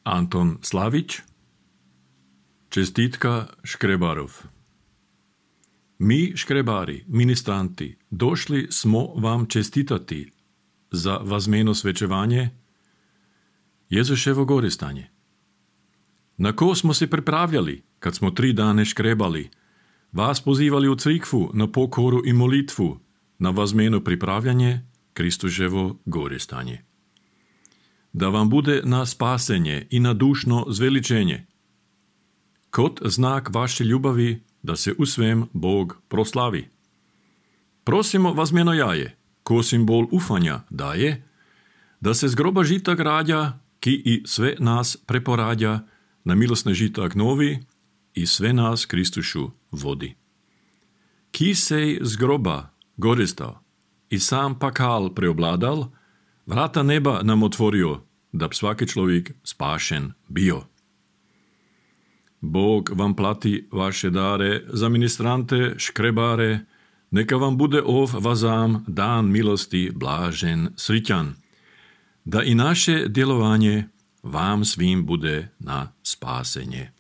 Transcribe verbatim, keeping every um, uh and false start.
Anton Slavić. Čestitka škrebarov. Mi, škrebari, ministranti, došli smo vam čestitati za vazmeno svečevanje Jezuševo goristanje. Na ko smo se pripravljali, kad smo tri dane škrebali, vas pozivali u crikvu na pokoru i molitvu, na vazmeno pripravljanje Kristuševo goristanje. Da vam bude na spasenje i na dušno zveličenje. Kot znak vaše ljubavi, da se u svem Bog proslavi. Prosimo vazmeno jaje, ko simbol ufanja daje, da se z groba žitak rađa, ki i sve nas preporađa, na milosne žitak novi i sve nas Kristušu vodi. Ki sej z groba goristao i sam pakal preobladal, vrata neba nam otvorio, da bi svaki človek spašen bio. Bog vam plati vaše dare za ministrante, škrebare, neka vam bude ov vazam dan milosti blažen, srićan, da i naše djelovanje vam svim bude na spasenje.